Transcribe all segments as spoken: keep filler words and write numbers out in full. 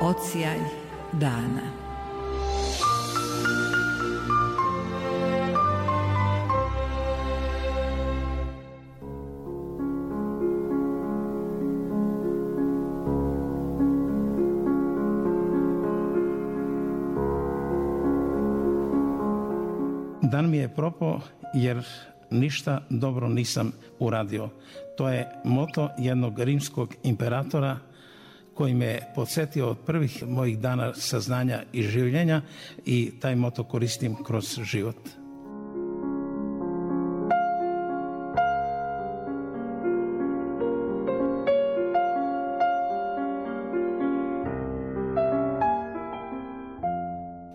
Odsjaj dana. Dan mi je propao jer ništa dobro nisam uradio. To je moto jednog rimskog imperatora koji me je podsjetio od prvih mojih dana saznanja i življenja i taj moto koristim kroz život.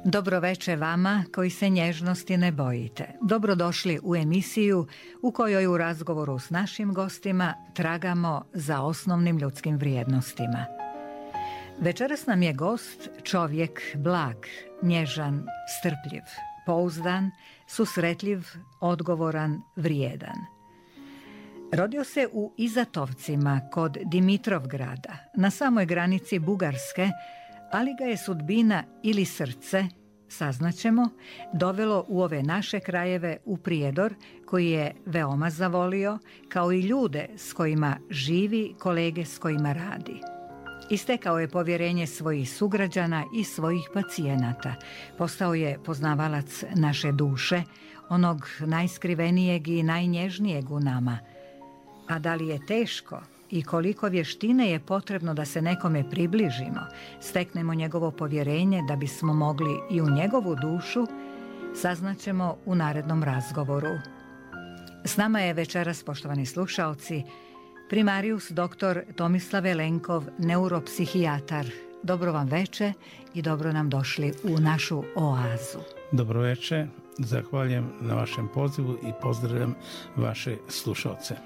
Dobroveče vama koji se nježnosti ne bojite. Dobrodošli u emisiju u kojoj u razgovoru s našim gostima tragamo za osnovnim ljudskim vrijednostima. Večeras nam je gost čovjek blag, nježan, strpljiv, pouzdan, susretljiv, odgovoran, vrijedan. Rodio se u Izatovcima kod Dimitrovgrada, na samoj granici Bugarske, ali ga je sudbina ili srce, saznaćemo, dovelo u ove naše krajeve u Prijedor, koji je veoma zavolio, kao i ljude s kojima živi, kolege s kojima radi. Istekao je povjerenje svojih sugrađana i svojih pacijenata. Postao je poznavalac naše duše, onog najskrivenijeg i najnježnijeg u nama. A da li je teško i koliko vještine je potrebno da se nekome približimo, steknemo njegovo povjerenje da bismo mogli i u njegovu dušu, saznaćemo u narednom razgovoru. S nama je večeras, poštovani slušaoci, primarijus doktor Tomislav Jelenkov, neuropsihijatar. Dobro vam veče i dobro nam došli u našu oazu. Dobro veče, zahvaljujem na vašem pozivu i pozdravljam vaše slušaoce.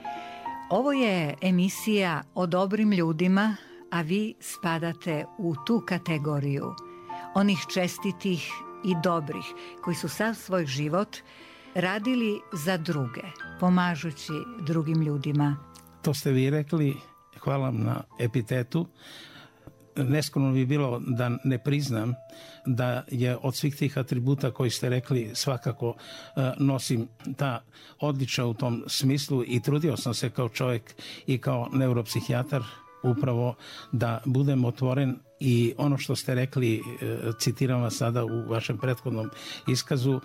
Ovo je emisija o dobrim ljudima, a vi spadate u tu kategoriju onih čestitih i dobrih koji su sav svoj život radili za druge, pomažući drugim ljudima. To ste vi rekli, hvala vam na epitetu. Neskromno bi bilo da ne priznam da je od svih tih atributa koji ste rekli svakako nosim ta odličja u tom smislu i trudio sam se kao čovjek i kao neuropsihijatar upravo da budem otvoren i ono što ste rekli, citiram vas sada u vašem prethodnom iskazu,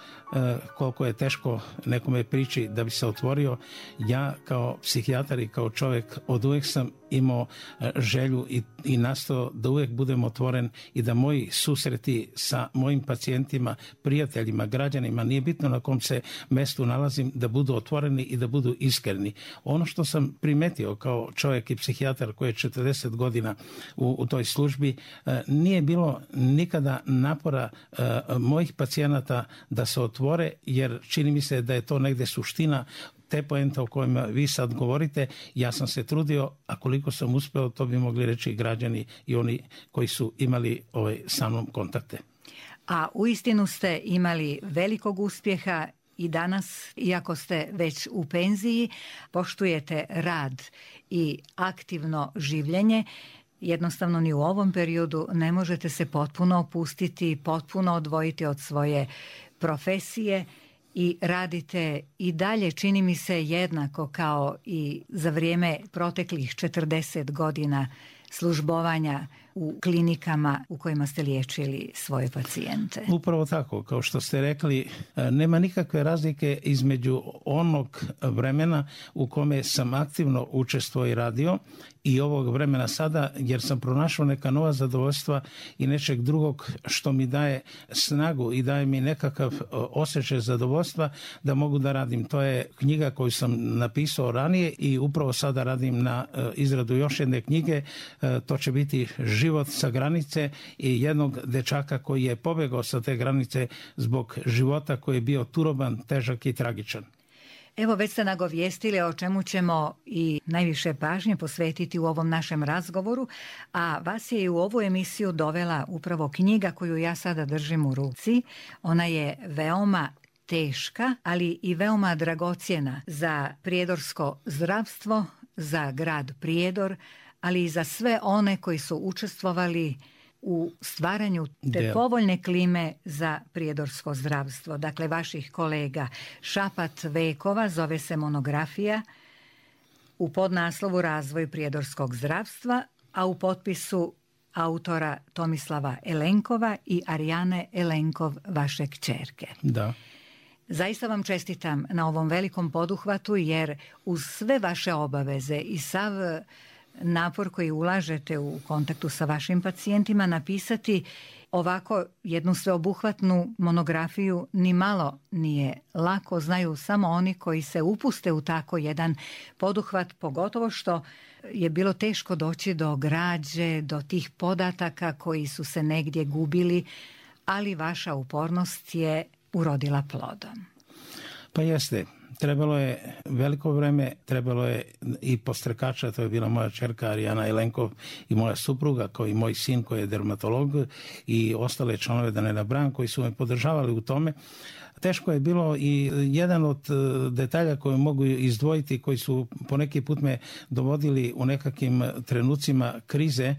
koliko je teško nekome priči da bi se otvorio. Ja kao psihijatar i kao čovjek od uvijek sam imao želju i, i nastao da uvijek budem otvoren i da moji susreti sa mojim pacijentima, prijateljima, građanima, nije bitno na kom se mestu nalazim, da budu otvoreni i da budu iskreni. Ono što sam primetio kao čovjek i psihijatar koji je četrdeset godina u, u toj službi, nije bilo nikada napora mojih pacijenata da se otvore, jer čini mi se da je to negdje suština te poente o kojima vi sad govorite. Ja sam se trudio, a koliko sam uspeo, to bi mogli reći i građani i oni koji su imali ovaj, sa mnom kontakte. A uistinu ste imali velikog uspjeha i danas, iako ste već u penziji, poštujete rad i aktivno življenje. Jednostavno ni u ovom periodu ne možete se potpuno opustiti, potpuno odvojiti od svoje profesije i radite i dalje, čini mi se, jednako kao i za vrijeme proteklih četrdeset godina službovanja u klinikama u kojima ste liječili svoje pacijente. Upravo tako, kao što ste rekli, nema nikakve razlike između onog vremena u kome sam aktivno učestvovao i radio i ovog vremena sada, jer sam pronašao neka nova zadovoljstva i nečeg drugog što mi daje snagu i daje mi nekakav osjećaj zadovoljstva da mogu da radim. To je knjiga koju sam napisao ranije i upravo sada radim na izradu još jedne knjige. To će biti Život sa granice i jednog dečaka koji je pobjegao sa te granice zbog života koji je bio turoban, težak i tragičan. Evo, već ste nagovijestili o čemu ćemo i najviše pažnje posvetiti u ovom našem razgovoru, a vas je i u ovu emisiju dovela upravo knjiga koju ja sada držim u ruci. Ona je veoma teška, ali i veoma dragocjena za prijedorsko zdravstvo, za grad Prijedor, ali i za sve one koji su učestvovali u stvaranju te Del. povoljne klime za prijedorsko zdravstvo. Dakle, vaših kolega. Šapat vekova zove se monografija, u podnaslovu Razvoj prijedorskog zdravstva, a u potpisu autora Tomislava Elenkova i Arijane Elenkov, vaše kćerke. Da. Zaista vam čestitam na ovom velikom poduhvatu, jer uz sve vaše obaveze i sav napor koji ulažete u kontaktu sa vašim pacijentima, napisati ovako jednu sveobuhvatnu monografiju ni malo nije lako. Znaju samo oni koji se upuste u tako jedan poduhvat, pogotovo što je bilo teško doći do građe, do tih podataka koji su se negdje gubili, ali vaša upornost je urodila plodom. Pa jeste. Trebalo je veliko vreme, trebalo je i postrekača, to je bila moja čerka Arijana Elenkov i moja supruga, kao i moj sin koji je dermatolog i ostale članove, da ne nabrajam, koji su me podržavali u tome. Teško je bilo i jedan od detalja koje mogu izdvojiti, koji su poneki put me dovodili u nekakvim trenucima krize,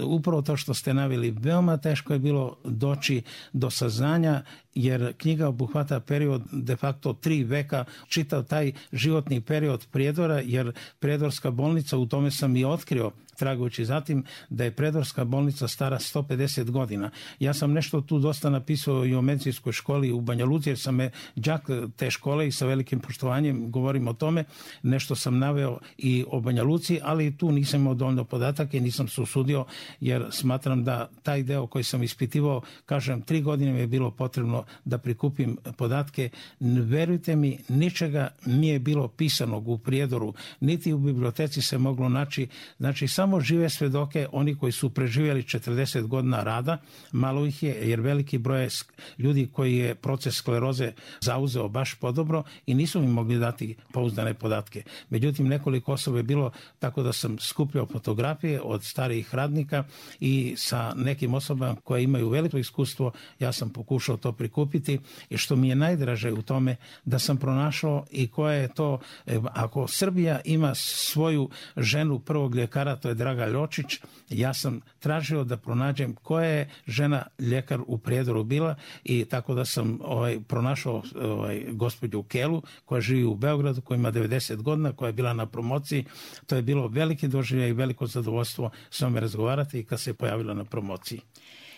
upravo to što ste naveli, veoma teško je bilo doći do saznanja, jer knjiga obuhvata period de facto tri veka, čitav taj životni period Prijedora, jer Prijedorska bolnica, u tome sam i otkrio, tragujući zatim, da je Prijedorska bolnica stara sto pedeset godina. Ja sam nešto tu dosta napisao i o medicinskoj školi u Banja Luci, jer sam me đak te škole i sa velikim poštovanjem govorim o tome. Nešto sam naveo i o Banja Luci, ali tu nisam imao dovoljno podataka i nisam se usudio, jer smatram da taj deo koji sam ispitivao, kažem, tri godine mi je bilo potrebno da prikupim podatke. Verujte mi, ničega nije bilo pisanog u Prijedoru, niti u biblioteci se moglo naći. Znači, samo žive svedoke, oni koji su preživjeli četrdeset godina rada, malo ih je, jer veliki broj je ljudi koji je proces skleroze zauzeo baš podobro i nisu mi mogli dati pouzdane podatke. Međutim, nekoliko osoba je bilo, tako da sam skupljao fotografije od starijih radnika i sa nekim osobama koje imaju veliko iskustvo, ja sam pokušao to prikupiti, i što mi je najdraže u tome, da sam pronašao i koja je to, ako Srbija ima svoju ženu prvog ljekara, to je Draga Ljočić, ja sam tražio da pronađem koja je žena ljekar u Prijedoru bila, i tako da sam ovaj, pronašao ovaj, gospođu Kelu, koja živi u Beogradu, koja ima devedeset godina, koja je bila na promociji. To je bilo veliki doživljaj i veliko zadovoljstvo s vama razgovarati i kad se pojavila na promociji.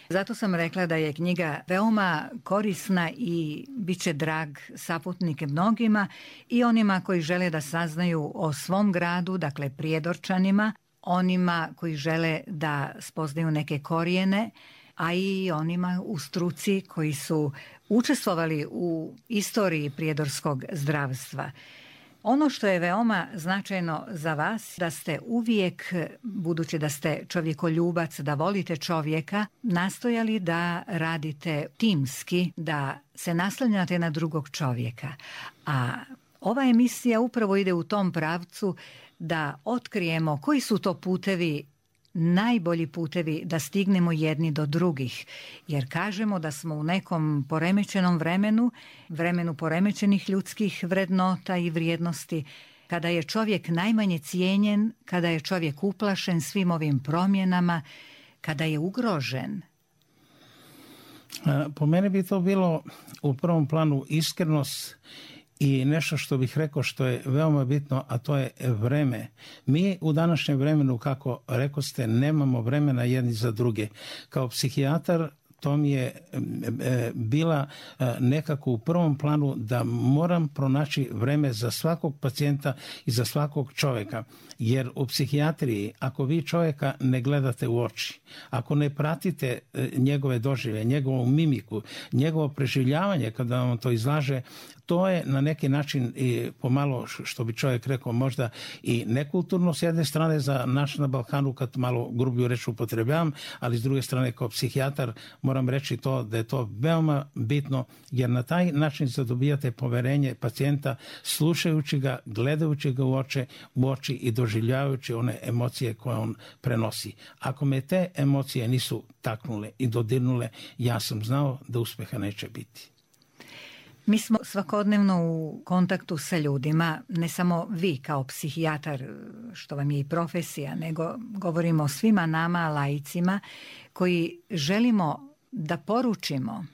Zato sam rekla da je knjiga veoma korisna i bit će drag saputnik mnogima i onima koji žele da saznaju o svom gradu, dakle Prijedorčanima, onima koji žele da spoznaju neke korijene, a i onima u struci koji su učestvovali u istoriji prijedorskog zdravstva. Ono što je veoma značajno za vas, da ste uvijek, budući da ste čovjekoljubac, da volite čovjeka, nastojali da radite timski, da se naslanjate na drugog čovjeka. A ova emisija upravo ide u tom pravcu da otkrijemo koji su to putevi, najbolji putevi da stignemo jedni do drugih. Jer kažemo da smo u nekom poremećenom vremenu, vremenu poremećenih ljudskih vrednota i vrijednosti, kada je čovjek najmanje cijenjen, kada je čovjek uplašen svim ovim promjenama, kada je ugrožen. Po mene bi to bilo u prvom planu iskrenost i nešto što bih rekao što je veoma bitno, a to je vreme. Mi u današnjem vremenu, kako rekoste, nemamo vremena jedni za druge. Kao psihijatar to mi je bila nekako u prvom planu da moram pronaći vreme za svakog pacijenta i za svakog čovjeka. Jer u psihijatriji, ako vi čovjeka ne gledate u oči, ako ne pratite njegove doživlje, njegovu mimiku, njegovo preživljavanje kada vam to izlaže, to je na neki način i pomalo, što bi čovjek rekao, možda i nekulturno s jedne strane za naš na Balkanu, kad malo grubiju reč upotrebljavam, ali s druge strane kao psihijatar moram reći to da je to veoma bitno, jer na taj način zadobijate poverenje pacijenta, slušajući ga, gledajući ga u oči, u oči i doživljavajući one emocije koje on prenosi. Ako me te emocije nisu taknule i dodirnule, ja sam znao da uspjeha neće biti. Mi smo svakodnevno u kontaktu sa ljudima, ne samo vi kao psihijatar, što vam je i profesija, nego govorimo o svima nama laicima koji želimo da poručimo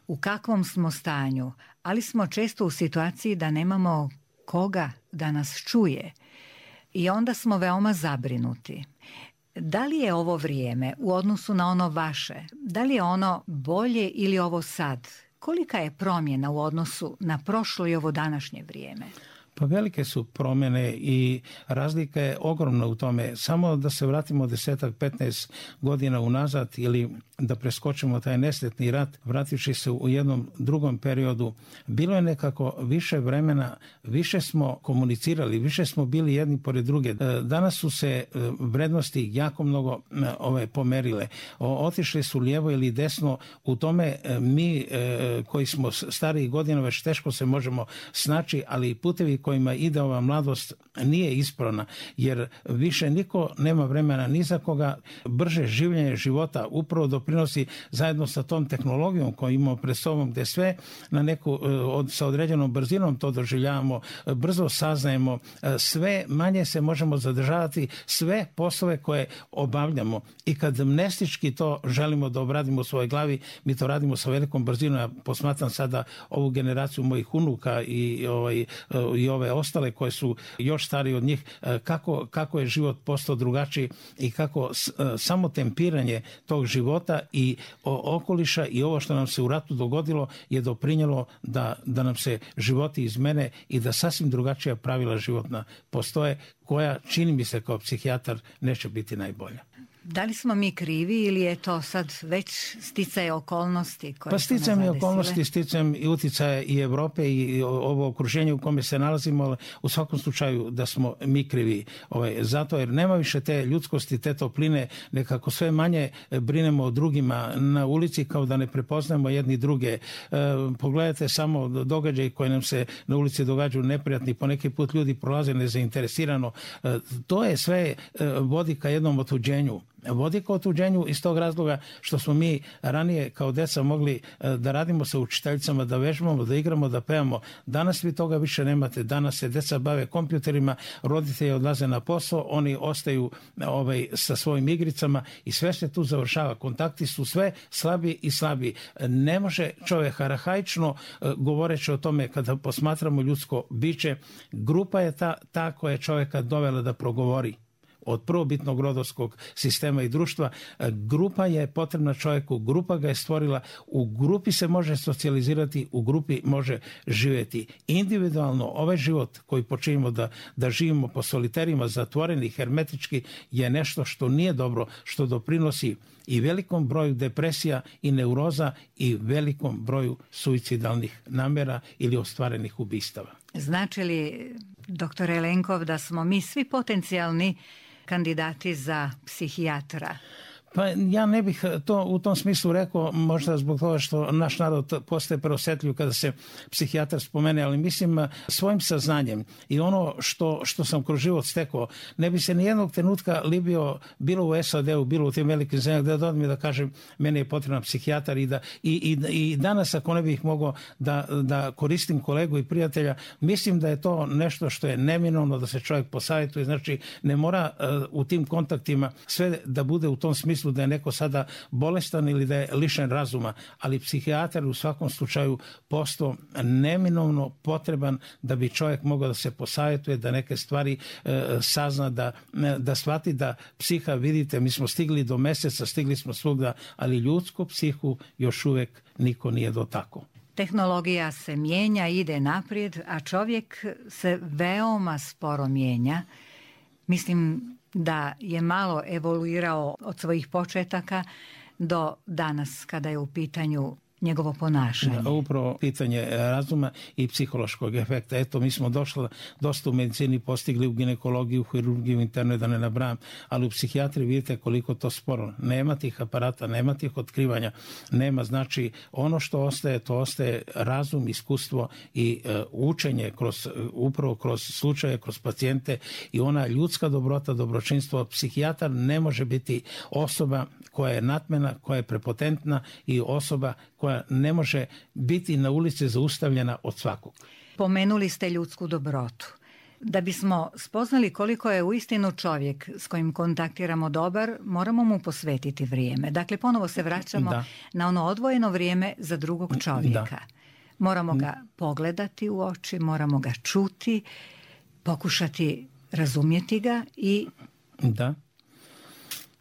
u kakvom smo stanju, ali smo često u situaciji da nemamo koga da nas čuje i onda smo veoma zabrinuti. Da li je ovo vrijeme u odnosu na ono vaše? Da li je ono bolje ili ovo sad? Kolika je promjena u odnosu na prošlo i ovo današnje vrijeme? Pa velike su promjene i razlika je ogromna u tome. Samo da se vratimo desetak, petnaest godina unazad ili da preskočimo taj nesretni rat, vrativši se u jednom drugom periodu, bilo je nekako više vremena, više smo komunicirali, više smo bili jedni pored druge. Danas su se vrednosti jako mnogo ove pomerile. Otišli su lijevo ili desno, u tome mi koji smo stariji godina već teško se možemo snaći, ali putevi kojima ide ova mladost nije ispravna, jer više niko nema vremena ni za koga. Brže življenje života upravo doprinosi zajedno sa tom tehnologijom koju imamo pred sobom, gdje sve na neku, od, sa određenom brzinom to doživljavamo, brzo saznajemo, sve manje se možemo zadržavati, sve poslove koje obavljamo. I kad amnestički to želimo da obradimo u svojoj glavi, mi to radimo sa velikom brzinom. Ja posmatram sada ovu generaciju mojih unuka i, ovaj, i ove ostale koje su još stariji od njih, kako, kako je život postao drugačiji i kako samo tempiranje tog života i okoliša i ovo što nam se u ratu dogodilo je doprinjelo da, da nam se životi izmene i da sasvim drugačija pravila životna postoje, koja, čini mi se kao psihijatar, neće biti najbolja. Da li smo mi krivi ili je to sad već sticaje okolnosti koje pa su nas sticajem i zadesile? okolnosti, sticajem i uticaje i Europe i ovo okruženje u kome se nalazimo, ali u svakom slučaju da smo mi krivi. Ovaj, zato jer nema više te ljudskosti, te topline, nekako sve manje brinemo o drugima na ulici, kao da ne prepoznajemo jedni druge. E, pogledajte samo događaj koji nam se na ulici događaju neprijatni, po neki put ljudi prolaze nezainteresirano. E, to je sve e, vodi ka jednom otuđenju. Vodi ka otuđenju iz tog razloga što smo mi ranije kao deca mogli da radimo sa učiteljicama, da vežbamo, da igramo, da pevamo. Danas vi toga više nemate. Danas se deca bave kompjuterima, roditelji odlaze na posao, oni ostaju ovaj, sa svojim igricama i sve se tu završava. Kontakti su sve slabi i slabi. Ne može čovjek arhaično govoreći o tome kada posmatramo ljudsko biće, grupa je ta, ta koja je čovjeka dovela da progovori. Od prvobitnog rodovskog sistema i društva. Grupa je potrebna čovjeku, grupa ga je stvorila, u grupi se može socijalizirati, u grupi može živjeti. Individualno ovaj život koji počinimo da, da živimo po soliterima, zatvoreni, hermetički, je nešto što nije dobro, što doprinosi i velikom broju depresija i neuroza i velikom broju suicidalnih namjera ili ostvarenih ubistava. Znači li, doktore Lenkov, da smo mi svi potencijalni kandidati za psihijatra? Pa ja ne bih to u tom smislu rekao, možda zbog toga što naš narod postaje preosjetljiv kada se psihijatar spomene, ali mislim svojim saznanjem i ono što, što sam kroz život stekao, ne bi se nijednog trenutka libio bilo u S A D-u, bilo u tim velikim zemljama, da dodam mi da kažem meni je potreban psihijatar i, da, i, i, i danas ako ne bih mogao da, da koristim kolegu i prijatelja, mislim da je to nešto što je neminovno da se čovjek posavjetuje, znači ne mora uh, u tim kontaktima sve da bude u tom smislu da je neko sada bolestan ili da je lišen razuma, ali psihijatar u svakom slučaju postao neminovno potreban da bi čovjek mogao da se posavjetuje, da neke stvari e, sazna, da, da shvati da psiha, vidite, mi smo stigli do mjeseca, stigli smo svugda, ali ljudsku psihu još uvijek niko nije dotakao. Tehnologija se mijenja, ide naprijed, a čovjek se veoma sporo mijenja. Mislim da je malo evoluirao od svojih početaka do danas kada je u pitanju njegovo ponašanje. Da, upravo pitanje razuma i psihološkog efekta. Eto, mi smo došli dosta u medicini, postigli u ginekologiju, u hirurgiju, internoj, da ne nabrajam, ali u psihijatriji vidite koliko to sporo. Nema tih aparata, nema tih otkrivanja, nema. Znači, ono što ostaje, to ostaje razum, iskustvo i uh, učenje kroz, upravo kroz slučaje, kroz pacijente i ona ljudska dobrota, dobročinstvo. Psihijatar ne može biti osoba koja je natmena, koja je prepotentna i osoba koja ne može biti na ulici zaustavljena od svakog. Pomenuli ste ljudsku dobrotu. Da bismo spoznali koliko je uistinu čovjek s kojim kontaktiramo dobar, moramo mu posvetiti vrijeme. Dakle, ponovo se vraćamo da. na ono odvojeno vrijeme za drugog čovjeka. Da. Moramo ga pogledati u oči, moramo ga čuti, pokušati razumjeti ga i... Da.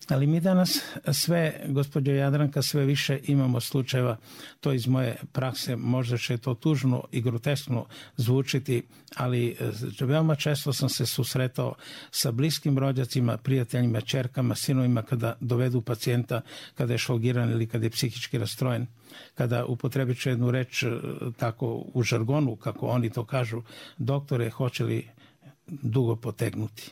Ali mi danas sve, gospođo Jadranka, sve više imamo slučajeva, to iz moje prakse, možda će to tužno i groteskno zvučiti, ali veoma često sam se susretao sa bliskim rođacima, prijateljima, ćerkama, sinovima kada dovedu pacijenta kada je šogiran ili kada je psihički rastrojen, kada upotrebit ću jednu reč tako u žargonu, kako oni to kažu, doktore, hoće li dugo potegnuti?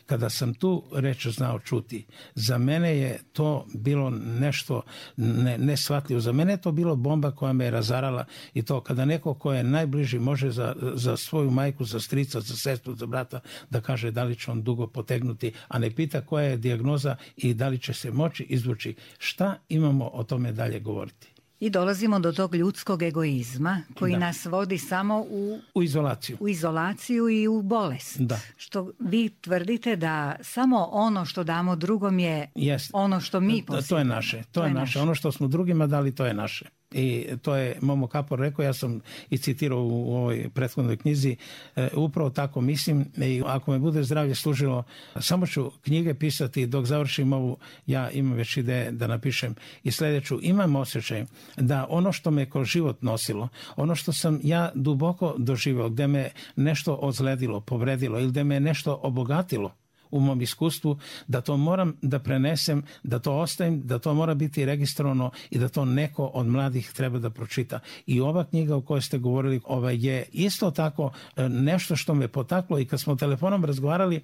Kada sam tu reč znao čuti, za mene je to bilo nešto ne, neshvatljivo. Za mene je to bilo bomba koja me je razarala i to kada neko ko je najbliži može za, za svoju majku, za strica, za sestru, za brata da kaže da li će on dugo potegnuti, a ne pita koja je dijagnoza i da li će se moći izvući. Šta imamo o tome dalje govoriti? I dolazimo do tog ljudskog egoizma koji da. nas vodi samo u, u izolaciju. U izolaciju i u bolest. Da. Što vi tvrdite da samo ono što damo drugom je yes. ono što mi posjedimo. To je naše. To, to je naše. naše. Ono što smo drugima dali, to je naše. I to je Momo Kapor rekao, ja sam i citirao u ovoj prethodnoj knjizi, e, upravo tako mislim i ako me bude zdravlje služilo, samo ću knjige pisati dok završim ovu, ja imam već ideje da napišem i sljedeću, imam osjećaj da ono što me kroz život nosilo, ono što sam ja duboko doživio, gde me nešto ozledilo, povredilo ili gde me nešto obogatilo u mom iskustvu, da to moram da prenesem, da to ostavim, da to mora biti registrovano i da to neko od mladih treba da pročita. I ova knjiga o kojoj ste govorili ova je isto tako nešto što me potaklo i kad smo telefonom razgovarali,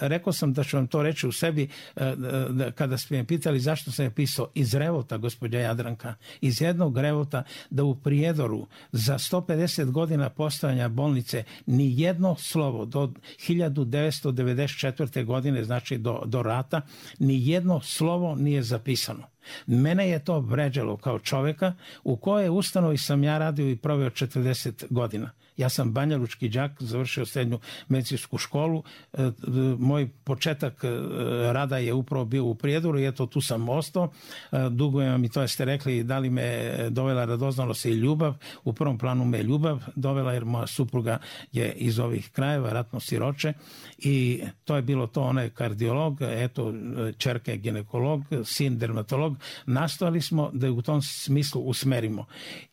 rekao sam da ću vam to reći u sebi kada ste me pitali zašto sam je pisao iz revolta, gospođa Jadranka, iz jednog revolta da u Prijedoru za sto pedeset godina postojanja bolnice ni jedno slovo do hiljadu devetsto devedeset četvrte godine, znači do, do rata, ni jedno slovo nije zapisano. Mene je to vređalo kao čovjeka u kojoj ustanovi sam ja radio i proveo četrdeset godina. Ja sam banjalučki đak, završio srednju medicinsku školu. Moj početak rada je upravo bio u Prijedoru i eto tu sam ostao. Dugujem vam i to ste rekli da li me dovela radoznalost i ljubav. U prvom planu me ljubav dovela jer moja supruga je iz ovih krajeva, ratno siroče i to je bilo to, ona je kardiolog, eto ćerka je ginekolog, sin dermatolog. Nastojali smo da je u tom smislu usmerimo.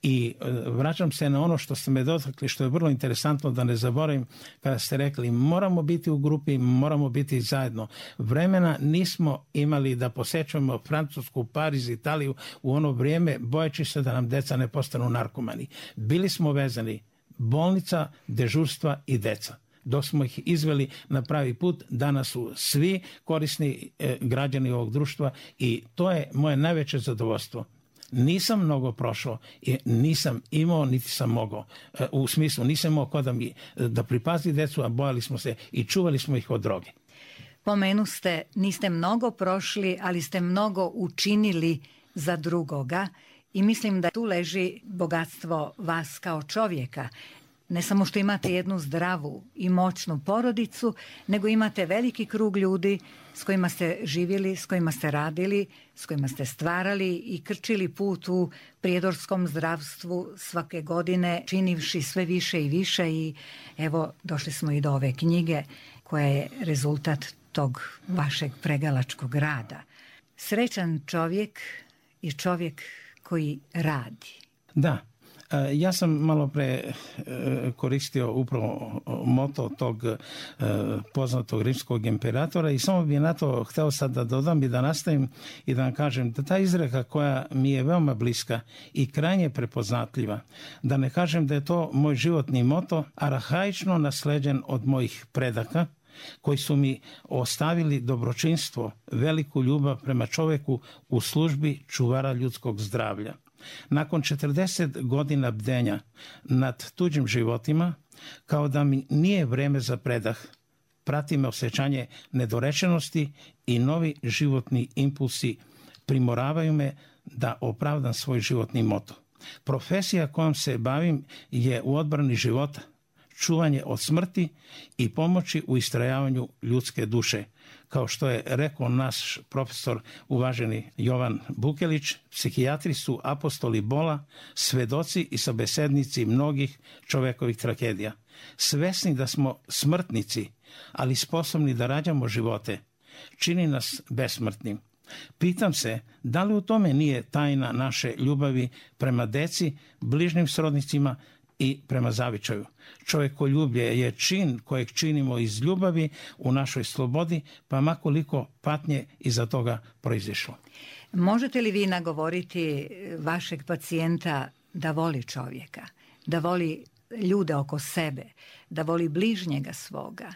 I vraćam se na ono što ste me dotakli, što je vrlo interesantno da ne zaboravim kada ste rekli moramo biti u grupi, moramo biti zajedno. Vremena nismo imali da posećujemo Francusku, Pariz, Italiju u ono vrijeme bojeći se da nam deca ne postanu narkomani. Bili smo vezani bolnica, dežurstva i deca. Dok smo ih izveli na pravi put, danas su svi korisni e, građani ovog društva i to je moje najveće zadovoljstvo. Nisam mnogo prošao i nisam imao, niti sam mogao. E, u smislu, nisam imao ko da, mi, da pripazi decu, a bojali smo se i čuvali smo ih od droge. Pomenu ste, niste mnogo prošli, ali ste mnogo učinili za drugoga i mislim da tu leži bogatstvo vas kao čovjeka. Ne samo što imate jednu zdravu i moćnu porodicu, nego imate veliki krug ljudi s kojima ste živjeli, s kojima ste radili, s kojima ste stvarali i krčili put u prijedorskom zdravstvu svake godine, činivši sve više i više i evo došli smo i do ove knjige koja je rezultat tog vašeg pregalačkog rada. Srećan čovjek je čovjek koji radi. Da. Ja sam malo pre koristio upravo moto tog poznatog rimskog imperatora i samo bih na to hteo sad da dodam i da nastavim i da vam kažem da ta izreka koja mi je veoma bliska i krajnje prepoznatljiva, da ne kažem da je to moj životni moto, arhaično nasleđen od mojih predaka, koji su mi ostavili dobročinstvo, veliku ljubav prema čoveku u službi čuvara ljudskog zdravlja. Nakon četrdeset godina bdenja nad tuđim životima, kao da mi nije vreme za predah, prati me osjećanje nedorečenosti i novi životni impulsi primoravaju me da opravdam svoj životni moto. Profesija kojom se bavim je u odbrani života. čuvanje od smrti i pomoći u istrajavanju ljudske duše. Kao što je rekao naš profesor uvaženi Jovan Bukelić, psihijatri su apostoli bola, svedoci i sabesednici mnogih čovekovih tragedija. Svesni da smo smrtnici, ali sposobni da rađamo živote, čini nas besmrtnim. Pitam se, da li u tome nije tajna naše ljubavi prema deci, bližnjim srodnicima i prema zavičaju. Čovjekoljublje je čin kojeg činimo iz ljubavi u našoj slobodi, pa makoliko patnje iza toga proizišlo. Možete li vi nagovoriti vašeg pacijenta da voli čovjeka, da voli ljude oko sebe, da voli bližnjega svoga?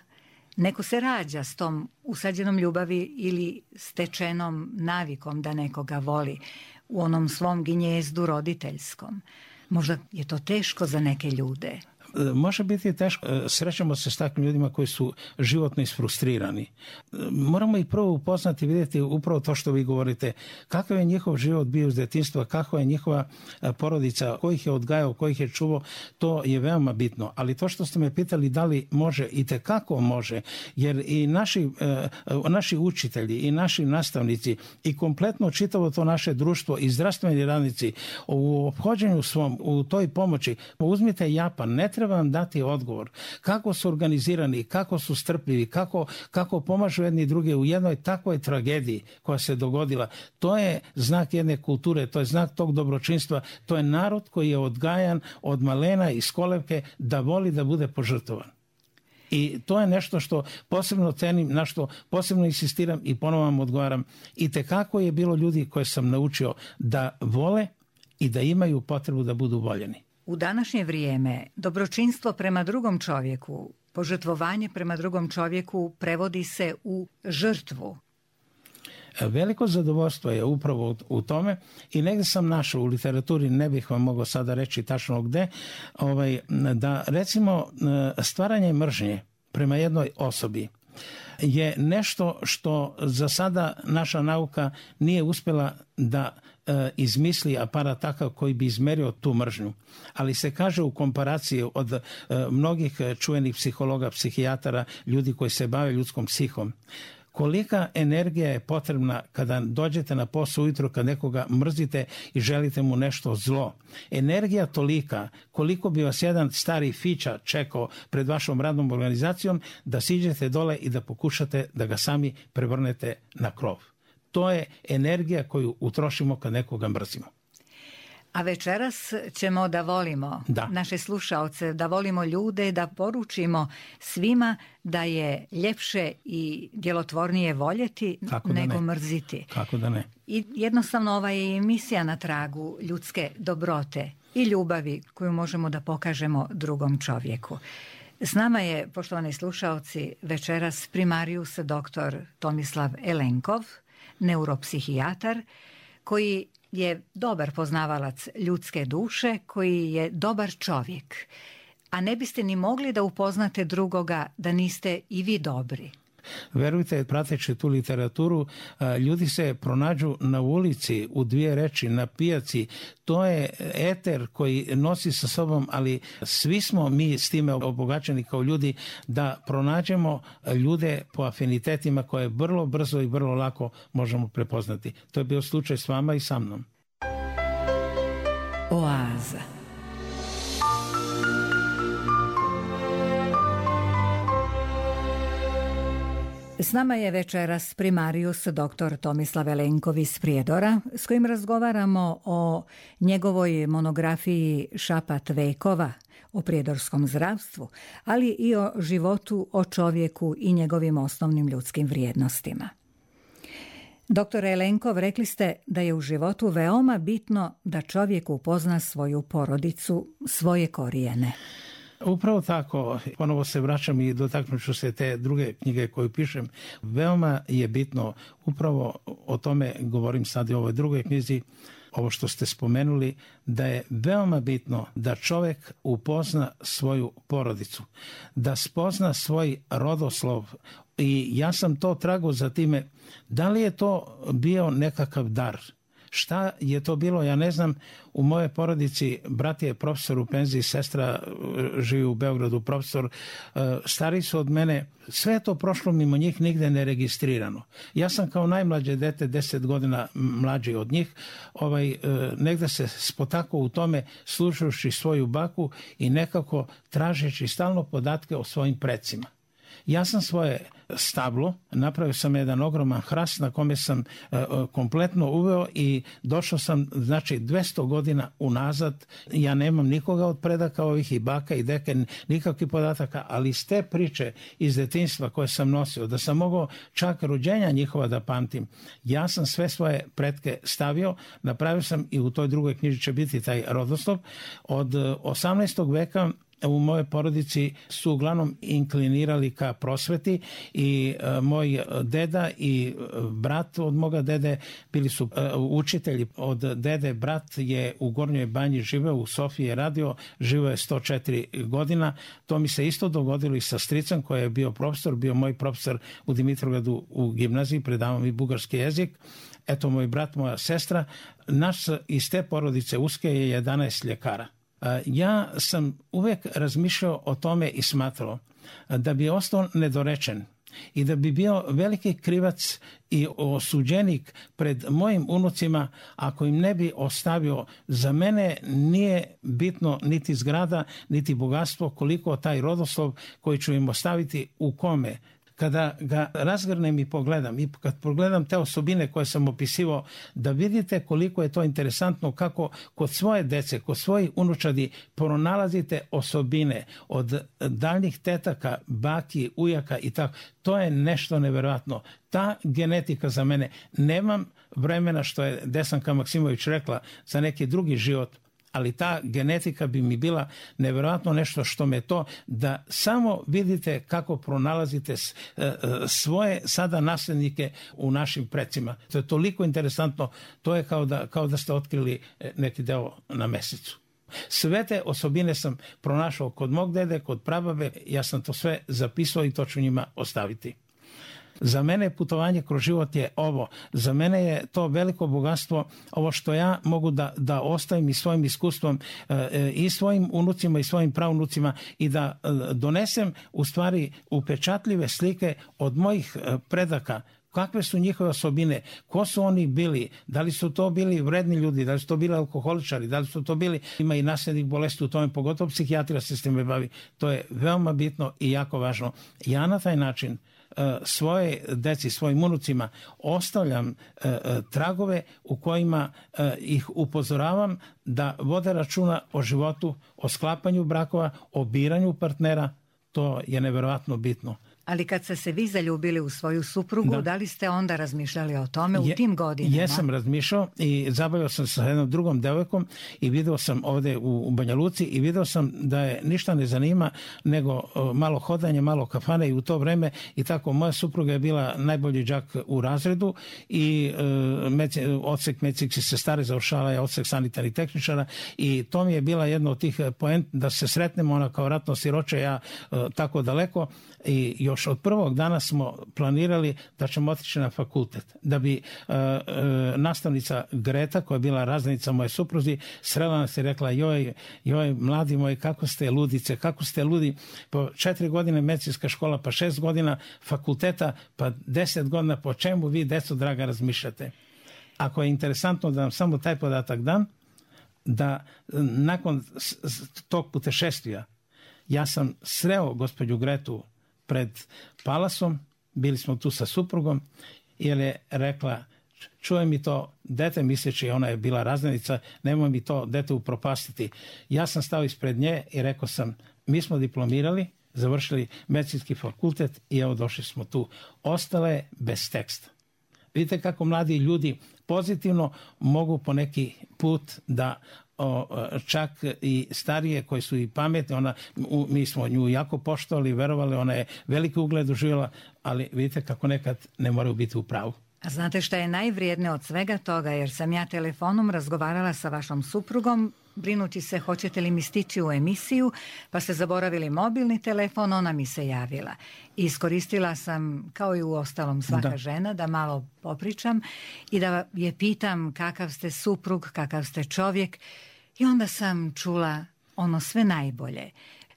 Neko se rađa s tom usađenom ljubavi ili stečenom navikom da nekoga voli u onom svom ginjezdu roditeljskom. Možda je to teško za neke ljude. Može biti teško. Srećemo se s takvim ljudima koji su životno isfrustrirani. Moramo ih prvo upoznati, vidjeti upravo to što vi govorite. Kakav je njihov život bio iz djetinjstva, kakva je njihova porodica, ko ih je odgajao, ko ih je čuvao, to je veoma bitno. Ali to što ste me pitali da li može, i tekako može, jer i naši, naši učitelji i naši nastavnici i kompletno čitavo to naše društvo i zdravstveni radnici u ophođenju svom, u toj pomoći, uzmite Japan, ne treba vam dati odgovor kako su organizirani, kako su strpljivi, kako, kako pomažu jedni druge u jednoj takvoj tragediji koja se dogodila. To je znak jedne kulture, to je znak tog dobročinstva, to je narod koji je odgajan od malena iz kolevke da voli da bude požrtovan. I to je nešto što posebno cenim, na što posebno insistiram i ponovo vam odgovaram. I tekako je bilo ljudi koje sam naučio da vole i da imaju potrebu da budu voljeni. U današnje vrijeme dobročinstvo prema drugom čovjeku, požrtvovanje prema drugom čovjeku prevodi se u žrtvu. Veliko zadovoljstvo je upravo u tome i negdje sam našao u literaturi, ne bih vam mogao sada reći tačno gde, ovaj, da recimo stvaranje mržnje prema jednoj osobi je nešto što za sada naša nauka nije uspjela da e, izmisli aparat takav koji bi izmerio tu mržnju. Ali se kaže u komparaciji od e, mnogih čuvenih psihologa, psihijatara, ljudi koji se bave ljudskom psihom, kolika energija je potrebna kada dođete na posao ujutro, kad nekoga mrzite i želite mu nešto zlo. Energija tolika koliko bi vas jedan stari fića čekao pred vašom radnom organizacijom da siđete dole i da pokušate da ga sami prevrnete na krov. To je energija koju utrošimo kad nekoga mrzimo. A večeras ćemo da volimo da. naše slušaoce, da volimo ljude, da poručimo svima da je ljepše i djelotvornije voljeti nego mrziti. Kako da ne? I jednostavno ova je emisija na tragu ljudske dobrote i ljubavi koju možemo da pokažemo drugom čovjeku. S nama je, poštovani slušaoci, večeras primarius doktor Tomislav Elenkov, neuropsihijatar, koji je dobar poznavalac ljudske duše, koji je dobar čovjek. A ne biste ni mogli da upoznate drugoga da niste i vi dobri. Verujte, prateći tu literaturu, ljudi se pronađu na ulici, u dvije reči, na pijaci. To je eter koji nosi sa sobom, ali svi smo mi s time obogaćeni kao ljudi da pronađemo ljude po afinitetima koje vrlo brzo i vrlo lako možemo prepoznati. To je bio slučaj s vama i sa mnom. Oaza. S nama je večeras primarius doktor Tomislav Elenkov iz Prijedora, s kojim razgovaramo o njegovoj monografiji Šapat vekova, o prijedorskom zdravstvu, ali i o životu, o čovjeku i njegovim osnovnim ljudskim vrijednostima. Doktore Elenkov, rekli ste da je u životu veoma bitno da čovjek upozna svoju porodicu, svoje korijene. Upravo tako, ponovo se vraćam i dotaknut ću se te druge knjige koju pišem. Veoma je bitno, upravo o tome govorim sad i u ovoj drugoj knjizi, ovo što ste spomenuli, da je veoma bitno da čovjek upozna svoju porodicu, da spozna svoj rodoslov. I ja sam to tragao za time, da li je to bio nekakav dar, Šta je to bilo, ja ne znam. U mojoj porodici brat je profesor u penziji, sestra živi u Beogradu, profesor, stari su od mene, sve je to prošlo mimo njih, nigde ne registrirano. Ja sam kao najmlađe dete, deset godina mlađi od njih, ovaj, negde se spotakao u tome, slušajući svoju baku i nekako tražeći stalno podatke o svojim precima. Ja sam svoje stablo, napravio sam jedan ogroman hrast na kome sam e, kompletno uveo i došao sam, znači, dvesta godina unazad. Ja nemam nikoga od predaka ovih i baka i deke, nikakvih podataka, ali iz te priče iz detinjstva koje sam nosio, da sam mogao čak rođenja njihova da pamtim, ja sam sve svoje pretke stavio, napravio sam i u toj drugoj knjiži će biti taj rodoslov. Od osamnaestog veka u mojoj porodici su uglavnom inklinirali ka prosveti i e, moj deda i brat od moga dede bili su e, učitelji. Od dede brat je u Gornjoj Banji živeo, u Sofiji je radio, živeo je sto četiri godina. To mi se isto dogodilo i sa stricem koji je bio profesor, bio moj profesor u Dimitrovgradu u gimnaziji, predavao mi bugarski jezik. Eto, moj brat, moja sestra. Naš iz te porodice uske je jedanaest ljekara. Ja sam uvek razmišljao o tome i smatrao da bi ostao nedorečen i da bi bio veliki krivac i osuđenik pred mojim unucima ako im ne bi ostavio. Za mene nije bitno niti zgrada, niti bogatstvo, koliko taj rodoslov koji ću im ostaviti u kome. Kada ga razgrnem i pogledam i kad pogledam te osobine koje sam opisivao, da vidite koliko je to interesantno kako kod svoje dece, kod svojih unučadi pronalazite osobine od daljnjih tetaka, baki, ujaka i tako. To je nešto neverovatno. Ta genetika za mene, nemam vremena, što je Desanka Maksimović rekla, za neki drugi život, ali ta genetika bi mi bila nevjerojatno nešto što me to, da samo vidite kako pronalazite svoje sada naslednike u našim precima. To je toliko interesantno, to je kao da, kao da ste otkrili neki deo na mesecu. Sve te osobine sam pronašao kod mog dede, kod prababe, ja sam to sve zapisao i to ću njima ostaviti. Za mene putovanje kroz život je ovo. Za mene je to veliko bogatstvo, ovo što ja mogu da, da ostavim i svojim iskustvom e, i svojim unucima i svojim praunucima i da e, donesem u stvari upečatljive slike od mojih e, predaka. Kakve su njihove osobine, ko su oni bili, da li su to bili vredni ljudi, da li su to bili alkoholičari, da li su to bili, ima i nasljednih bolesti u tome, pogotovo psihijatrija se s time bavi. To je veoma bitno i jako važno. Ja na taj način svoje deci, svojim unucima ostavljam e, tragove u kojima e, ih upozoravam da vode računa o životu, o sklapanju brakova, o biranju partnera. To je neverovatno bitno. Ali kad ste se vi zaljubili u svoju suprugu, da, da li ste onda razmišljali o tome u je, tim godinama? Jesam razmišljao i zabavio sam sa jednom drugom devojkom i video sam ovde u, u Banja Luci i video sam da je ništa ne zanima nego malo hodanje, malo kafane i u to vreme i tako moja supruga je bila najbolji đak u razredu i e, meci, odsek medicinske sestare završala je odsek sanitarnih tehničara i to mi je bila jedna od tih poent da se sretnemo, ona kao ratno siroče, ja e, tako daleko. I još od prvog dana smo planirali da ćemo otići na fakultet. Da bi uh, uh, nastavnica Greta, koja je bila razrednica moje supruzi, srela nas i rekla, joj, joj, mladi moji, kako ste ludice, kako ste ludi, po četiri godine medicinska škola, pa šest godina fakulteta, pa deset godina, po čemu vi, deco draga, razmišljate? Ako je interesantno da vam samo taj podatak dam, da nakon tog putešestvija ja sam sreo gospođu Gretu pred Palasom, bili smo tu sa suprugom, jer je rekla, čuje mi to dete, misleći ona je bila razrednica, nemoj mi to dete upropastiti. Ja sam stao ispred nje i rekao sam, mi smo diplomirali, završili medicinski fakultet i evo došli smo tu. Ostale je bez teksta. Vidite kako mladi ljudi pozitivno mogu po neki put da O, čak i starije koji su i pametni, ona, u, mi smo nju jako poštovali, verovali, ona je veliki ugled uživjela, ali vidite kako nekad ne moraju biti u pravu. A znate šta je najvrijednije od svega toga, jer sam ja telefonom razgovarala sa vašom suprugom brinući se hoćete li mi stići u emisiju, pa ste zaboravili mobilni telefon, ona mi se javila. Iskoristila sam, kao i u ostalom svaka da. žena, da malo popričam i da je pitam kakav ste suprug, kakav ste čovjek, i onda sam čula ono sve najbolje.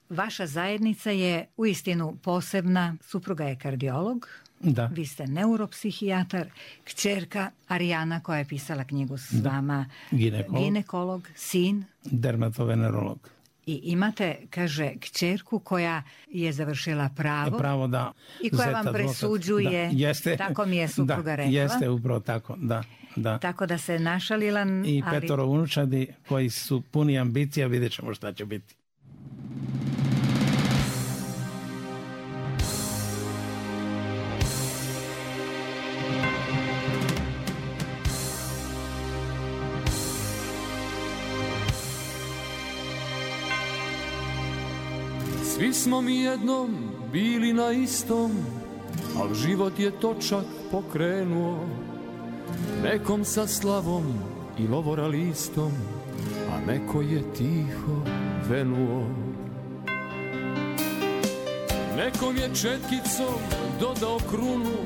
Vaša zajednica je uistinu posebna, supruga je kardiolog, da. Vi ste neuropsihijatar, kćerka Arijana koja je pisala knjigu s da. vama, ginekolog. ginekolog, sin, dermatovenerolog. I imate, kaže, kćerku koja je završila pravo, pravo da. i koja vam presuđuje, da. Jeste, tako mi je supruga da, rekla. Jeste upravo tako, da. Da. Tako da se našalila. I ali... petoro unučadi koji su puni ambicija, vidjet ćemo šta će biti. Svi smo mi jednom bili na istom, al život je točak pokrenuo, nekom sa slavom i lovora listom, a neko je tiho venuo. Nekom je četkicom dodao krunu,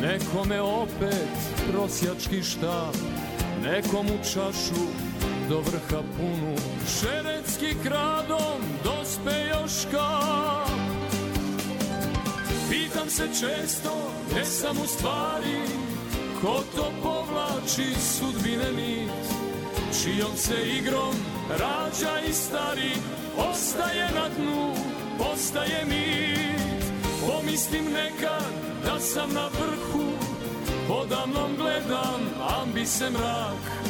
nekome opet prosjački štap, nekom u čašu do vrha punu, šerecki kradom dospe još kap. Pitam se često, gde sam u stvari, ko to povlači sudbine nit, čijom se igrom rađa i stari, ostaje na dnu, postaje mit. Pomislim nekad da sam na vrhu, podamnom gledam ambise mrak,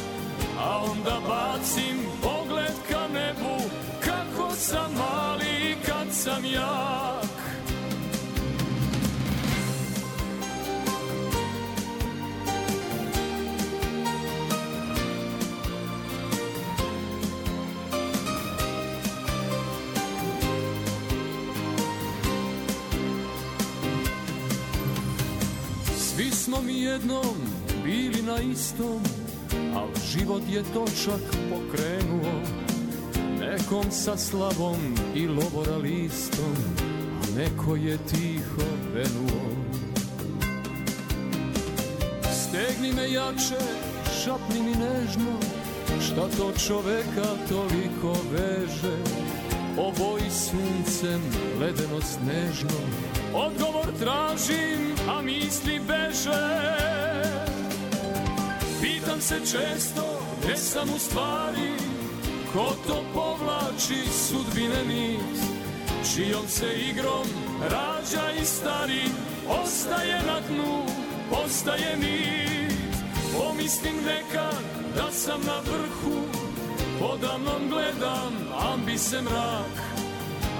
a onda bacim pogled ka nebu, kako sam mali kad sam jak. Svi smo mi jednom bili na istom, al život je točak pokrenuo, nekom sa slavom i lovora listom, a neko je tiho venuo. Stegni me jače, šapni mi nežno, šta to čoveka toliko veže, oboji suncem ledeno snežno, odgovor tražim, a misli beže. Pitam se često, gde sam u stvari, ko to povlači sudbine nit, čijom se igrom rađa i stari, ostaje na dnu, postaje mit. Pomislim nekad da sam na vrhu, podamnom gledam ambise mrak,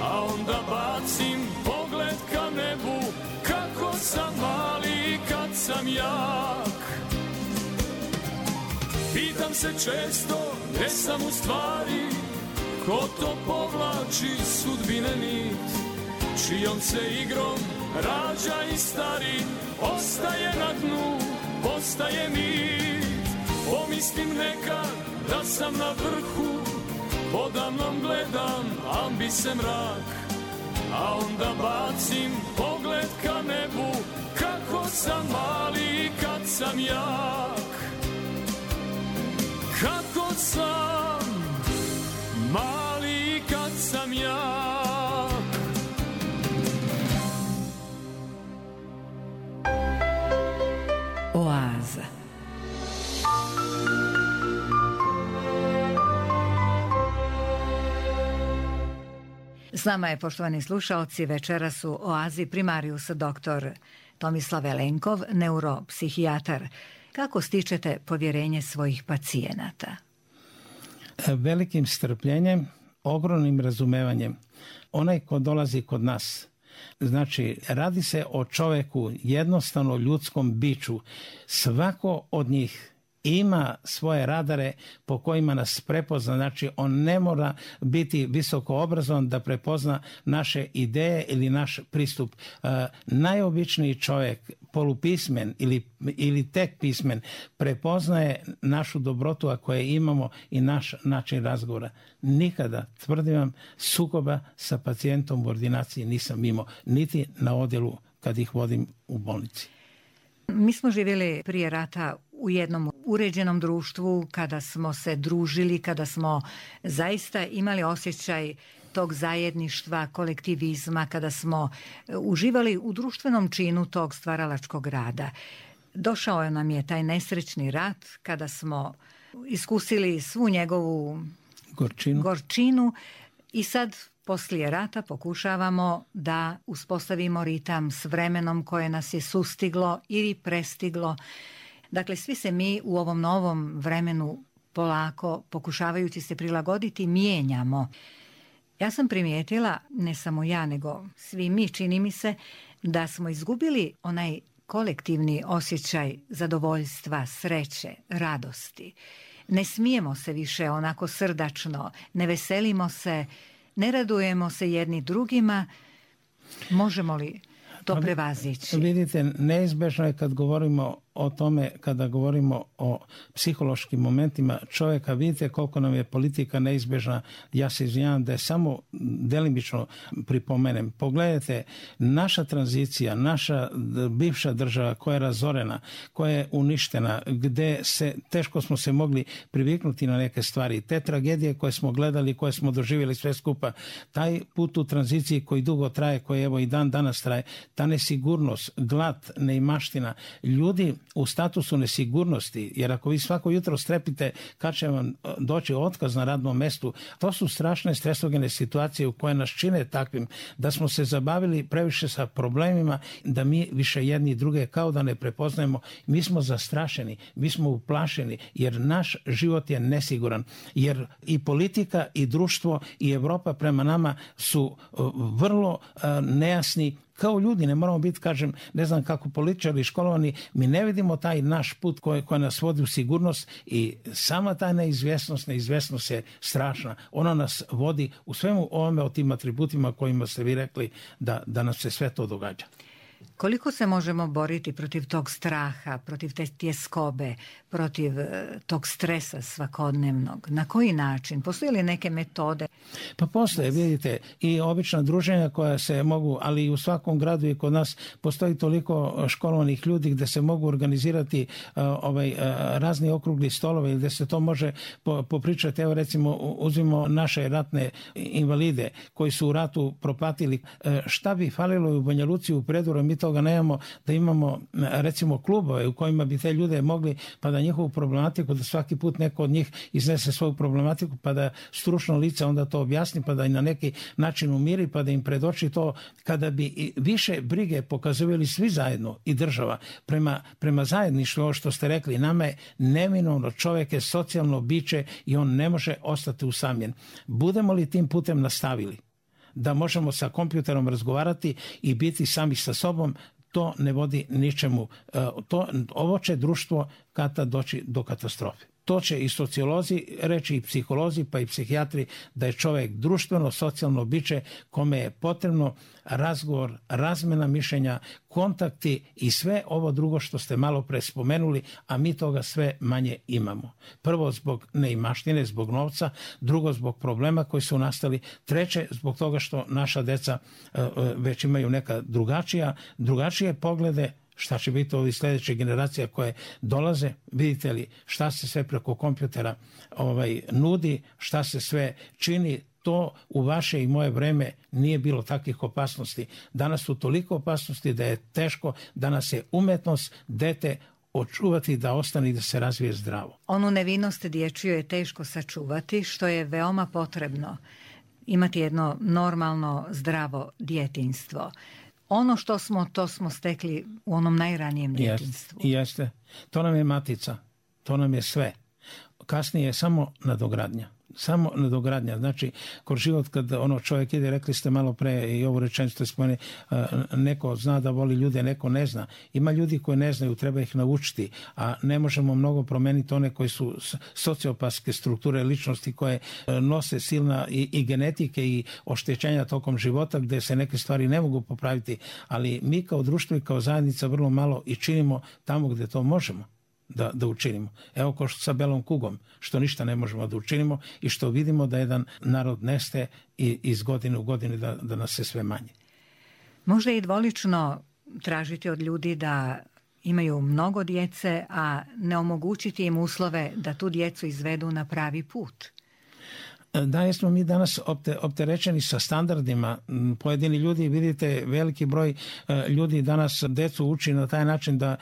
a onda bacim pogled ka nebu, kako sam mali kad sam jak. Pitam se često, gde sam u stvari, ko to povlači sudbine nit, čijom se igrom rađa i stari, ostaje na dnu, postaje mit. Pomislim nekad da sam na vrhu, podamnom gledam ambise mrak, a onda bacim pogled ka nebu, kako sam mali kad sam jak. Kako sam mali kad sam jak. Oaza. S nama je, poštovani slušaoci, večeras u Oazi primarius doktor Tomislav Elenkov, neuropsihijatar. Kako stičete povjerenje svojih pacijenata? Velikim strpljenjem, ogromnim razumevanjem. Onaj ko dolazi kod nas, znači radi se o čoveku, jednostavno ljudskom biću. Svako od njih ima svoje radare po kojima nas prepozna, znači on ne mora biti visoko obrazovan da prepozna naše ideje ili naš pristup. E, najobičniji čovjek polupismen ili, ili tek pismen prepoznaje našu dobrotu ako je imamo i naš način razgovora. Nikada, tvrdim vam, sukoba sa pacijentom u ordinaciji nisam imao, niti na odjelu kad ih vodim u bolnici. Mi smo živjeli prije rata u jednom uređenom društvu, kada smo se družili, kada smo zaista imali osjećaj tog zajedništva, kolektivizma, kada smo uživali u društvenom činu tog stvaralačkog rada. Došao nam je taj nesrećni rat kada smo iskusili svu njegovu gorčinu, gorčinu i sad poslije rata pokušavamo da uspostavimo ritam s vremenom koje nas je sustiglo ili prestiglo. Dakle, svi se mi u ovom novom vremenu polako, pokušavajući se prilagoditi, mijenjamo. Ja sam primijetila, ne samo ja, nego svi mi, čini mi se, da smo izgubili onaj kolektivni osjećaj zadovoljstva, sreće, radosti. Ne smijemo se više onako srdačno, ne veselimo se, ne radujemo se jedni drugima. Možemo li to prevazići? Vidite, neizbežno je kad govorimo o tome, kada govorimo o psihološkim momentima čovjeka, vidite koliko nam je politika neizbežna. Ja se izvinjavam da je samo delimično pripomenem. Pogledajte, naša tranzicija, naša bivša država koja je razorena, koja je uništena, gdje se, teško smo se mogli priviknuti na neke stvari. Te tragedije koje smo gledali, koje smo doživjeli sve skupa, taj put u tranziciji koji dugo traje, koji evo i dan danas traje, ta nesigurnost, glad, neimaština, ljudi u statusu nesigurnosti, jer ako vi svako jutro strepite kad će vam doći otkaz na radnom mjestu, to su strašne stresogene situacije u koje nas čine takvim da smo se zabavili previše sa problemima, da mi više jedni i druge kao da ne prepoznajemo. Mi smo zastrašeni, mi smo uplašeni, jer naš život je nesiguran, jer i politika i društvo i Europa prema nama su vrlo nejasni. Kao ljudi, ne moramo biti, kažem, ne znam kako političari školovani, mi ne vidimo taj naš put koji, koji nas vodi u sigurnost i sama ta neizvjesnost, neizvjesnost je strašna. Ona nas vodi u svemu ovome o tim atributima kojima ste vi rekli da, da nam se sve to događa. Koliko se možemo boriti protiv tog straha, protiv te tjeskobe, protiv tog stresa svakodnevnog? Na koji način? Postoje li neke metode? Pa postoje, vidite, i obična druženja koja se mogu, ali i u svakom gradu i kod nas postoji toliko školovanih ljudi gdje se mogu organizirati uh, ovaj, uh, razni okrugli stolovi ili gdje se to može po, popričati. Evo recimo uzmimo naše ratne invalide koji su u ratu propatili. Uh, šta bi falilo u Banja Luci u Predoru, mi toga nemamo, da imamo recimo klubove u kojima bi te ljude mogli, pa da njihovu problematiku, da svaki put neko od njih iznese svoju problematiku, pa da stručno lice onda to objasni, pa da i na neki način umiri, pa da im predoči to. Kada bi više brige pokazivali svi zajedno i država prema, prema zajedništvu, ovo što ste rekli, nama je neminovno, čovjek je socijalno biće i on ne može ostati usamljen. Budemo li tim putem nastavili da možemo sa kompjuterom razgovarati i biti sami sa sobom, to ne vodi ničemu. To, ovo će društvo kada doći do katastrofe. To će i sociolozi reći, i psiholozi, pa i psihijatri, da je čovjek društveno, socijalno biće kome je potrebno razgovor, razmjena mišljenja, kontakti i sve ovo drugo što ste malo pre spomenuli, a mi toga sve manje imamo. Prvo zbog neimaštine, zbog novca, drugo zbog problema koji su nastali, treće zbog toga što naša deca uh, već imaju neka drugačija, drugačije poglede. Šta će biti ovih sljedećih generacija koje dolaze, vidite li šta se sve preko kompjutera ovaj, nudi, šta se sve čini. To u vaše i moje vreme nije bilo takvih opasnosti. Danas su toliko opasnosti da je teško, danas je umetnost dete očuvati da ostane i da se razvije zdravo. Onu nevinost dječju je teško sačuvati, što je veoma potrebno. Imati jedno normalno, zdravo djetinjstvo. Ono što smo, to smo stekli u onom najranijem djetinjstvu. Jeste, jeste. To nam je matica, to nam je sve. Kasnije je samo nadogradnja. Samo nadogradnja. Znači, kroz život kad ono čovjek ide, rekli ste malo pre i ovu rečenicu ste spomenuli, neko zna da voli ljude, neko ne zna. Ima ljudi koji ne znaju, treba ih naučiti, a ne možemo mnogo promeniti one koji su sociopatske strukture ličnosti koje nose silna i, i genetike i oštećenja tokom života gdje se neke stvari ne mogu popraviti, ali mi kao društvo i kao zajednica vrlo malo i činimo tamo gdje to možemo da, da učinimo. Evo kao što sa belom kugom, što ništa ne možemo da učinimo i što vidimo da jedan narod nestaje i iz godine u godinu da, da nas se sve manje. Možda je i dvolično tražiti od ljudi da imaju mnogo djece, a ne omogućiti im uslove da tu djecu izvedu na pravi put. Da, jesmo mi danas opte, opterećeni sa standardima. Pojedini ljudi, vidite, veliki broj ljudi danas decu uči na taj način da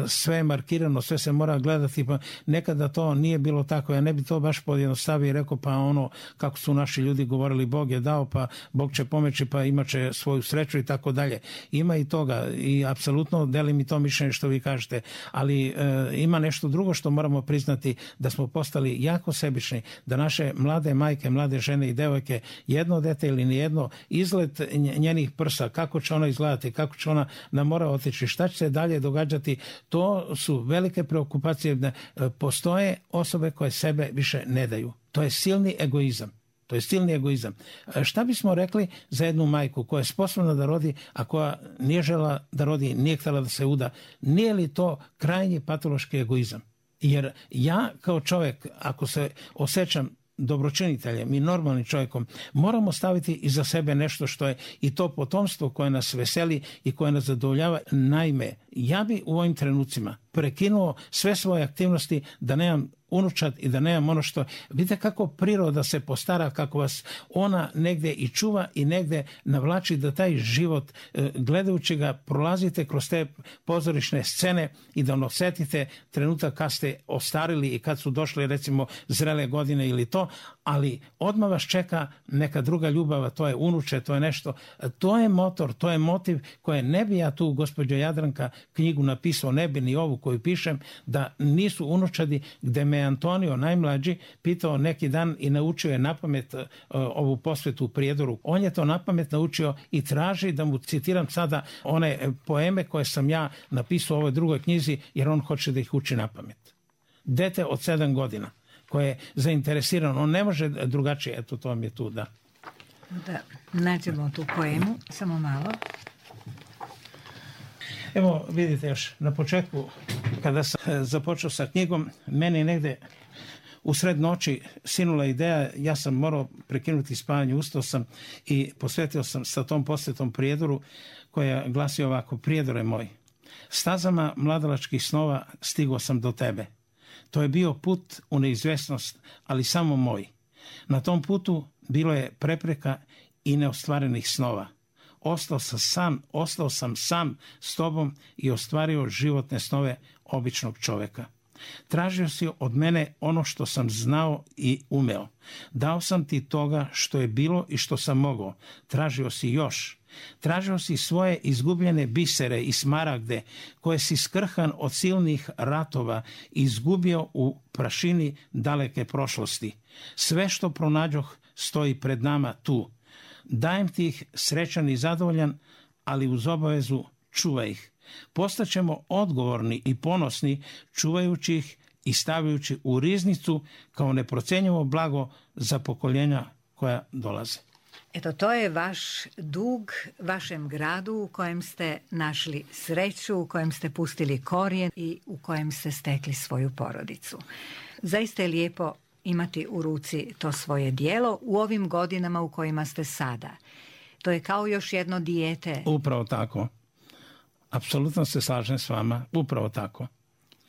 sve je markirano, sve se mora gledati, pa nekada to nije bilo tako. Ja ne bi to baš pojednostavio i rekao, pa ono, kako su naši ljudi govorili, Bog je dao, pa Bog će pomoći, pa imat će svoju sreću i tako dalje. Ima i toga i apsolutno delim i to mišljenje što vi kažete, ali e, ima nešto drugo što moramo priznati, da smo postali jako sebični, da naše mlade majke, mlade žene i devojke, jedno dete ili nijedno, izgled njenih prsa, kako će ona izgledati, kako će ona na mora otići, šta će se dalje događati, to su velike preokupacije. Postoje osobe koje sebe više ne daju. To je silni egoizam. To je silni egoizam. Šta bismo rekli za jednu majku koja je sposobna da rodi, a koja nije žela da rodi, nije htjela da se uda? Nije li to krajnji patološki egoizam? Jer ja kao čovjek, ako se osjećam dobročiniteljem i normalnim čovjekom, moramo staviti iza sebe nešto što je i to potomstvo koje nas veseli i koje nas zadovoljava. Naime, ja bi u ovim trenucima prekinuo sve svoje aktivnosti da nemam unučad i da nemam ono što... Vidite kako priroda se postara, kako vas ona negdje i čuva i negdje navlači da taj život, gledajući ga, prolazite kroz te pozorišne scene i da osjetite trenutak kad ste ostarili i kad su došle recimo zrele godine ili to, ali odmah vas čeka neka druga ljubav, to je unuče, to je nešto, to je motor, to je motiv koje ne bi ja tu, gospođo Jadranka, knjigu napisao, ne bi ni ovu koju pišem, da nisu unučadi, gde me Antonio, najmlađi, pitao neki dan i naučio je napamet uh, ovu posvetu u Prijedoru. On je to napamet naučio i traži da mu citiram sada one poeme koje sam ja napisao u ovoj drugoj knjizi, jer on hoće da ih uči napamet. Dete od sedam godina koje je zainteresirano, on ne može drugačije, eto to vam je tu, da. Da, nađemo tu poemu, samo malo. Evo, vidite još, na početku, kada sam započeo sa knjigom, meni negdje u sred noći sinula ideja, ja sam morao prekinuti spavanje, ustao sam i posvetio sam sa tom posvetom Prijedoru, koja glasi ovako: Prijedore moj, stazama mladalačkih snova stigao sam do tebe. To je bio put u neizvjesnost, ali samo moj. Na tom putu bilo je prepreka i neostvarenih snova. Ostao sam sam, ostao sam sam s tobom i ostvario životne snove običnog čovjeka. Tražio si od mene ono što sam znao i umeo. Dao sam ti toga što je bilo i što sam mogao. Tražio si još. Tražio si svoje izgubljene bisere i smaragde koje si skrhan od silnih ratova izgubio u prašini daleke prošlosti. Sve što pronađoh stoji pred nama tu. Dajem ti ih srećan i zadovoljan, ali uz obavezu čuvaj ih. Postaćemo odgovorni i ponosni čuvajući ih i stavljajući u riznicu kao neprocjenjivo blago za pokoljenja koja dolaze. Eto, to je vaš dug vašem gradu u kojem ste našli sreću, u kojem ste pustili korijen i u kojem ste stekli svoju porodicu. Zaista je lijepo imati u ruci to svoje djelo u ovim godinama u kojima ste sada. To je kao još jedno dijete. Upravo tako. Apsolutno se slažem s vama. Upravo tako.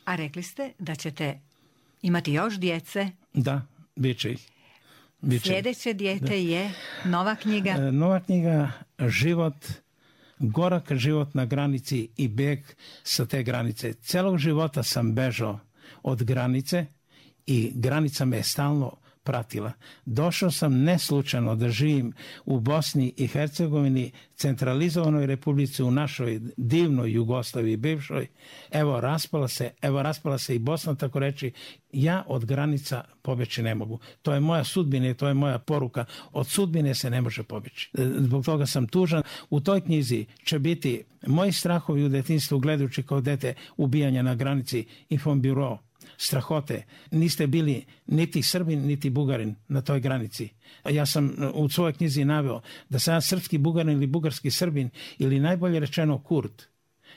A rekli ste da ćete imati još djece? Da, bit će ih. Biće. Sljedeće dijete da. je nova knjiga? E, nova knjiga Život, gorak život na granici i beg sa te granice. Celog života sam bežao od granice i granica me je stalno pratila. Došao sam neslučajno da živim u Bosni i Hercegovini, centralizovanoj republici, u našoj divnoj Jugoslaviji bivšoj. Evo raspala se, evo raspala se i Bosna, tako reći. Ja od granica pobjeći ne mogu. To je moja sudbina i to je moja poruka. Od sudbine se ne može pobjeći. Zbog toga sam tužan. U toj knjizi će biti moji strahovi u detinjstvu, gledajući kao dete ubijanja na granici, Infombiro, strahote. Niste bili niti Srbin, niti Bugarin na toj granici. Ja sam u svojoj knjizi naveo da sam ja srpski Bugarin ili bugarski Srbin ili najbolje rečeno Kurt.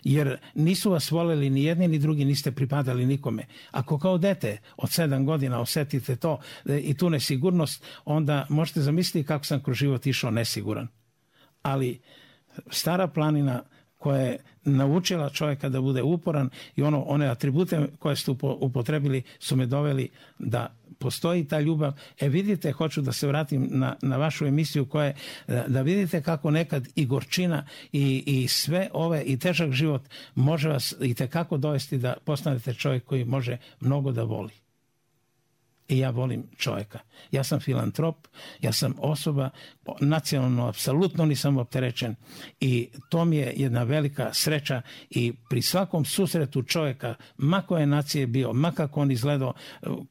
Jer nisu vas voljeli ni jedni ni drugi, niste pripadali nikome. Ako kao dete od sedam godina osjetite to i tu nesigurnost, onda možete zamisliti kako sam kroz život išao nesiguran. Ali Stara planina koja je naučila čovjeka da bude uporan i ono, one atribute koje ste upotrebili su me doveli da postoji ta ljubav. E vidite, hoću da se vratim na, na vašu emisiju koja je, da vidite kako nekad i gorčina i, i sve ove i težak život može vas i tekako dovesti da postanete čovjek koji može mnogo da voli. I ja volim čovjeka. Ja sam filantrop, ja sam osoba, nacionalno apsolutno nisam opterećen i to mi je jedna velika sreća i pri svakom susretu čovjeka, ma koje nacije bio, ma kako on izgledao,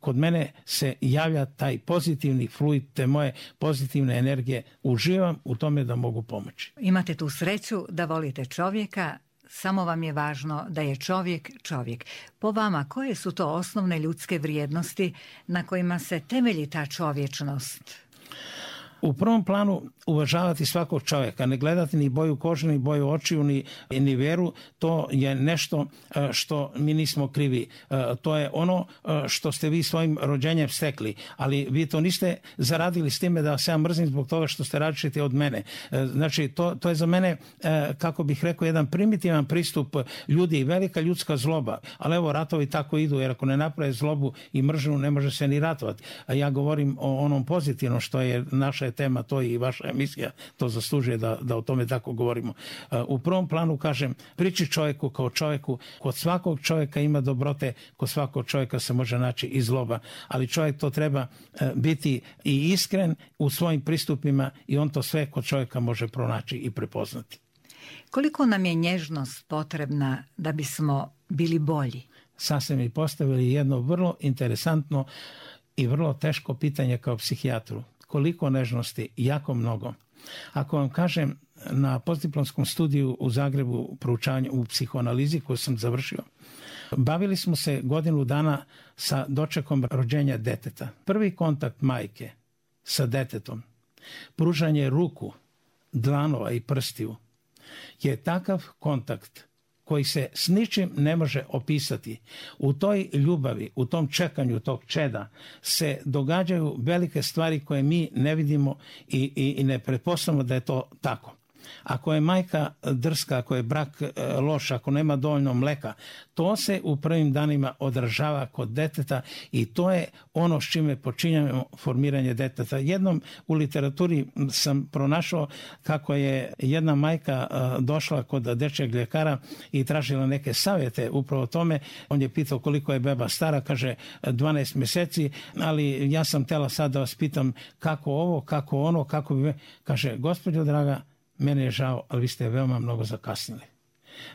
kod mene se javlja taj pozitivni fluid, te moje pozitivne energije. Uživam u tome da mogu pomoći. Imate tu sreću da volite čovjeka, samo vam je važno da je čovjek čovjek. Po vama, koje su to osnovne ljudske vrijednosti na kojima se temelji ta čovječnost? U prvom planu uvažavati svakog čovjeka, ne gledati ni boju kože, ni boju očiju, ni, ni vjeru. To je nešto što mi nismo krivi. To je ono što ste vi svojim rođenjem stekli. Ali vi to niste zaradili s time da se ja mrzim zbog toga što ste različiti od mene. Znači, to, to je za mene, kako bih rekao, jedan primitivan pristup ljudi i velika ljudska zloba. Ali evo, ratovi tako idu, jer ako ne naprave zlobu i mržnju, ne može se ni ratovati. A ja govorim o onom pozitivnom što je naša tema, to i vaša emisija to zaslužuje da, da o tome tako govorimo. U prvom planu kažem, priči čovjeku kao čovjeku, kod svakog čovjeka ima dobrote, kod svakog čovjeka se može naći i zloba, ali čovjek to treba biti i iskren u svojim pristupima i on to sve kod čovjeka može pronaći i prepoznati. Koliko nam je nježnost potrebna da bismo bili bolji? Sad ste mi postavili jedno vrlo interesantno i vrlo teško pitanje kao psihijatru. Koliko nežnosti? Jako mnogo. Ako vam kažem, na postdiplomskom studiju u Zagrebu proučavanja u psihoanalizi koju sam završio, bavili smo se godinu dana sa dočekom rođenja deteta. Prvi kontakt majke sa detetom, pružanje ruku, dlanova i prstiju, je takav kontakt koji se s ničim ne može opisati. U toj ljubavi, u tom čekanju tog čeda se događaju velike stvari koje mi ne vidimo i, i, i ne pretpostavljamo da je to tako. Ako je majka drska, ako je brak loš, ako nema dovoljno mleka, to se u prvim danima odražava kod deteta i to je ono s čime počinjemo formiranje deteta. Jednom u literaturi sam pronašao kako je jedna majka došla kod dečjeg ljekara i tražila neke savjete upravo o tome. On je pitao koliko je beba stara, kaže dvanaest mjeseci, ali ja sam htjela sad da vas pitam kako ovo, kako ono, kako bi... Kaže, gospođo draga, mene je žao, ali vi ste veoma mnogo zakasnili.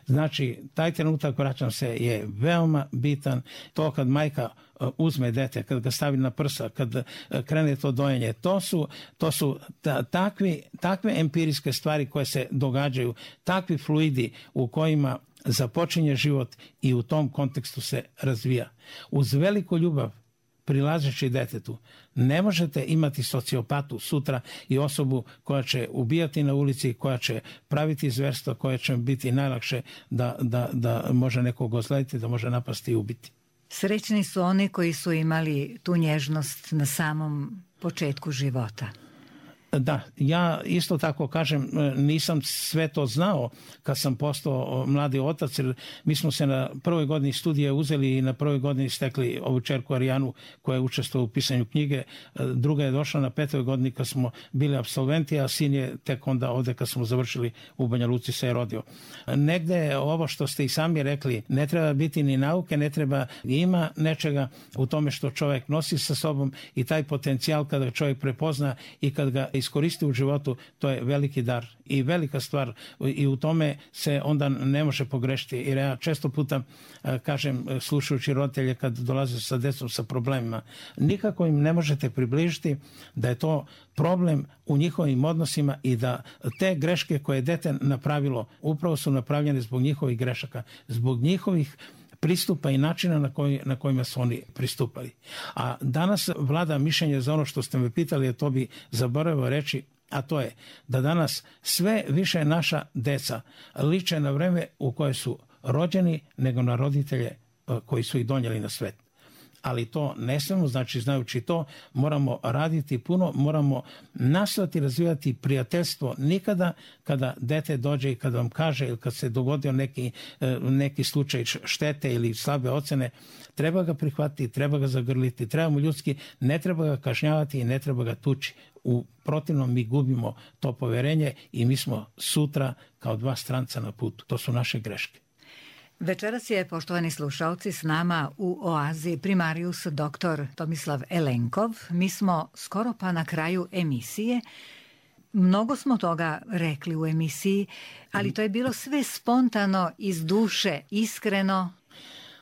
Znači, taj trenutak, vraćam se, je veoma bitan. To kad majka uzme dete, kad ga stavi na prsa, kad krene to dojenje, to su, to su ta, takvi, takve empirijske stvari koje se događaju, takvi fluidi u kojima započinje život i u tom kontekstu se razvija. Uz veliku ljubav prilazeći detetu, ne možete imati sociopatu sutra i osobu koja će ubijati na ulici, koja će praviti zverstva, koja će biti najlakše da, da, da može nekog ozlediti, da može napasti i ubiti. Srećni su oni koji su imali tu nježnost na samom početku života. Da, ja isto tako kažem, nisam sve to znao kad sam postao mladi otac, jer mi smo se na prvoj godini studija uzeli i na prvoj godini stekli ovu čerku Arijanu koja je učestvovala u pisanju knjige. Druga je došla na petoj godini kad smo bili apsolventi, a sin je tek onda ovde kad smo završili u Banja Luci se je rodio. Negde ovo što ste i sami rekli, ne treba biti ni nauke, ne treba, ima nečega u tome što čovjek nosi sa sobom i taj potencijal kada čovjek prepozna i kad ga iskoristi u životu, to je veliki dar i velika stvar i u tome se onda ne može pogrešiti. Jer ja često puta kažem, slušajući roditelje kad dolaze sa decom sa problemima, nikako im ne možete približiti da je to problem u njihovim odnosima i da te greške koje je dete napravilo upravo su napravljene zbog njihovih grešaka, zbog njihovih pristupa i načina na, koji, na kojima su oni pristupali. A danas vlada mišljenje za ono što ste me pitali, a to bi zaboravio reći, a to je da danas sve više naša deca liče na vreme u koje su rođeni nego na roditelje koji su ih donijeli na svet. Ali to ne smemo, znači znajući to, moramo raditi puno, moramo nastojati razvijati prijateljstvo. Nikada kada dete dođe i kada vam kaže ili kad se dogodio neki, neki slučaj štete ili slabe ocene, treba ga prihvatiti, treba ga zagrliti, treba mu ljudski, ne treba ga kažnjavati i ne treba ga tući. U protivnom mi gubimo to poverenje i mi smo sutra kao dva stranca na putu. To su naše greške. Večeras je, poštovani slušalci, s nama u Oazi primarius doktor Tomislav Elenkov. Mi smo skoro pa na kraju emisije. Mnogo smo toga rekli u emisiji, ali to je bilo sve spontano, iz duše, iskreno.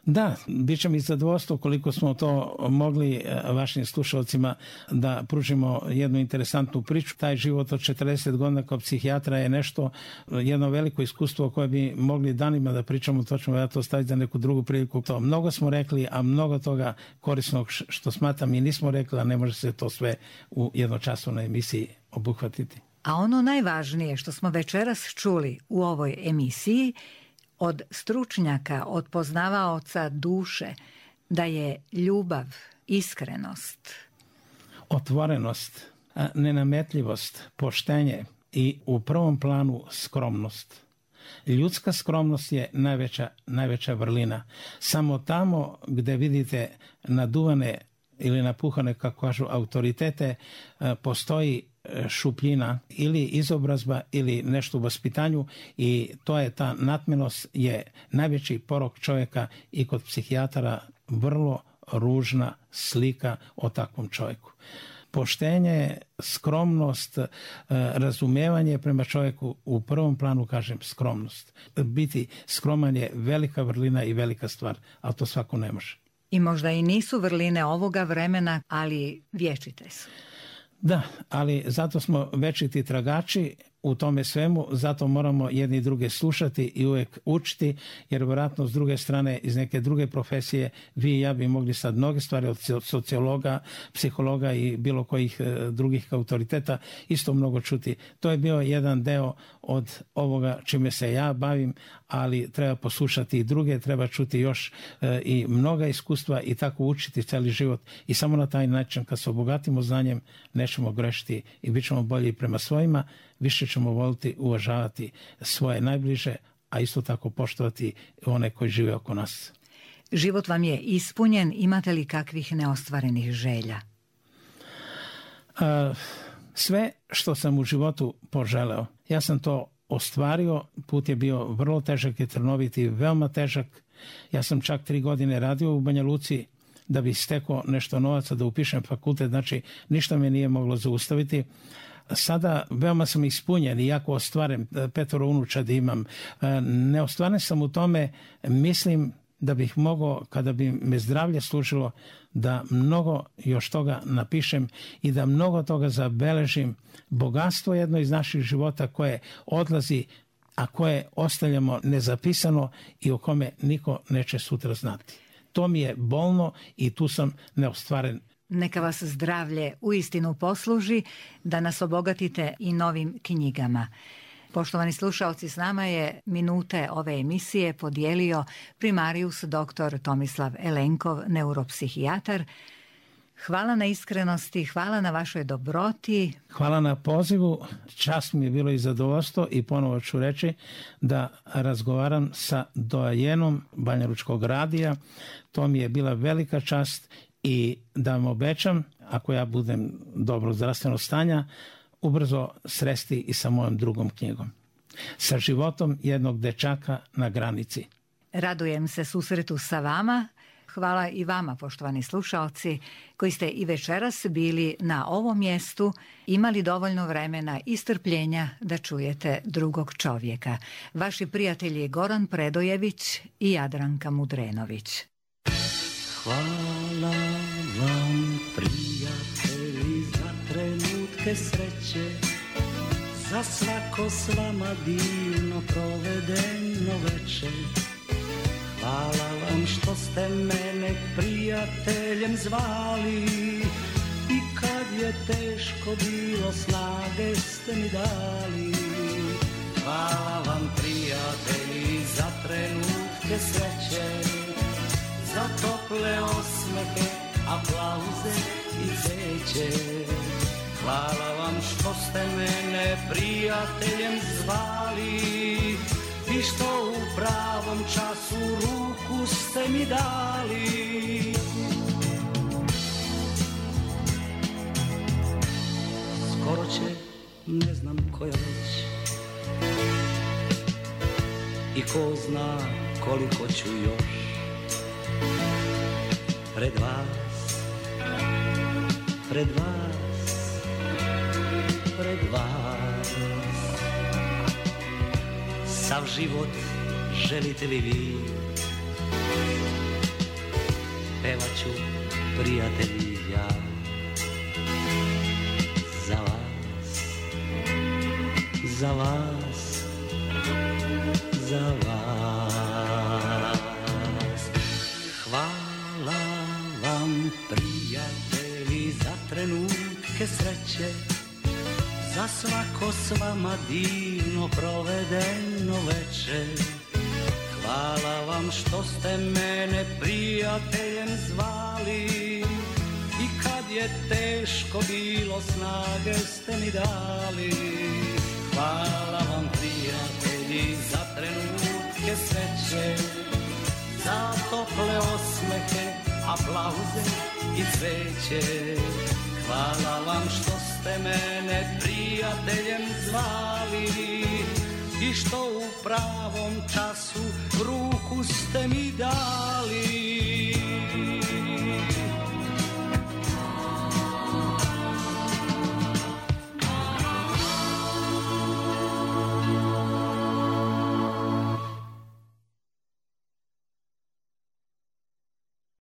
Da, bit će mi zadovoljstvo koliko smo to mogli vašim slušalcima da pružimo jednu interesantnu priču. Taj život od četrdeset godina kao psihijatra je nešto, jedno veliko iskustvo koje bi mogli danima da pričamo, to ćemo ja to staviti za neku drugu priliku. To mnogo smo rekli, a mnogo toga korisnog što smatram i nismo rekli, a ne može se to sve u jednočasovnoj emisiji obuhvatiti. A ono najvažnije što smo večeras čuli u ovoj emisiji od stručnjaka, od poznavaoca duše, da je ljubav, iskrenost, otvorenost, nenametljivost, poštenje i u prvom planu skromnost. Ljudska skromnost je najveća, najveća vrlina. Samo tamo gdje vidite naduvane ili napuhane, kako kažu, autoritete, postoji šupljina ili izobrazba ili nešto u vaspitanju i to je ta natmenost je najveći porok čovjeka i kod psihijatara vrlo ružna slika o takvom čovjeku. Poštenje, skromnost, razumijevanje prema čovjeku, u prvom planu kažem skromnost. Biti skroman je velika vrlina i velika stvar, ali to svako ne može. I možda i nisu vrline ovoga vremena, ali vječite su. Da, ali zato smo večiti tragači u tome svemu, zato moramo jedni druge slušati i uvijek učiti, jer vjerojatno s druge strane iz neke druge profesije vi i ja bi mogli sad mnoge stvari od sociologa, psihologa i bilo kojih drugih autoriteta isto mnogo čuti. To je bio jedan deo od ovoga čime se ja bavim, ali treba poslušati i druge, treba čuti još e, i mnoga iskustva i tako učiti cijeli život i samo na taj način kad se obogatimo znanjem nećemo grešiti i bit ćemo bolji prema svojima, više ćemo voliti, uvažavati svoje najbliže, a isto tako poštovati one koji žive oko nas. Život vam je ispunjen, imate li kakvih neostvarenih želja? A, sve što sam u životu poželeo, ja sam to ostvario, put je bio vrlo težak i trnovit i veoma težak. Ja sam čak tri godine radio u Banja Luci da bi stekao nešto novaca da upišem fakultet, znači ništa me nije moglo zaustaviti. Sada veoma sam ispunjen, iako ostvaren, petoro unučadi imam. Ne ostvaren sam u tome, mislim da bih mogao, kada bi me zdravlje služilo, da mnogo još toga napišem i da mnogo toga zabeležim. Bogatstvo je jedno iz naših života koje odlazi, a koje ostavljamo nezapisano i o kome niko neće sutra znati. To mi je bolno i tu sam neostvaren. Neka vas zdravlje uistinu posluži da nas obogatite i novim knjigama. Poštovani slušalci, s nama je minute ove emisije podijelio primarius doktor Tomislav Elenkov, neuropsihijatar. Hvala na iskrenosti, hvala na vašoj dobroti. Hvala na pozivu, čast mi je bilo i zadovoljstvo i ponovo ću reći da razgovaram sa doajenom Banjalučkog radija. To mi je bila velika čast i da vam obećam, ako ja budem dobro zdravstveno stanja, ubrzo sresti i sa mojom drugom knjigom. Sa životom jednog dečaka na granici. Radujem se susretu sa vama. Hvala i vama, poštovani slušaoci, koji ste i večeras bili na ovom mjestu, imali dovoljno vremena i strpljenja da čujete drugog čovjeka. Vaši prijatelji Goran Predojević i Jadranka Mudrenović. Hvala vam, prijatelji, za trenutke sreće, za svako s vama divno provedeno večer. Hvala vam što ste mene prijateljem zvali i kad je teško bilo snage ste mi dali. Hvala vam, prijatelji, za trenutke sreće, za tople osmehe, aplauze i cveće. Hvala vam što ste mene prijateljem zvali i što u pravom času ruku ste mi dali. Skoro će, ne znam koja već, i ko zna koliko ću još pred vas, pred vas, pred vas. Sav život želite li vi, pevat ću, prijatelji, ja za vas, za vas, za vas. Hvala vam, prijatelji, za trenutke sreće, za svako s vama divno provedeno večer. Hvala vam što ste mene prijateljem zvali i kad je teško bilo snage ste mi dali. Hvala vam, prijatelji, za trenutke sreće, za tople osmehe, aplauze i cveće. Hvala vam što ste mene prijateljem zvali i što u pravom času ruku ste mi dali.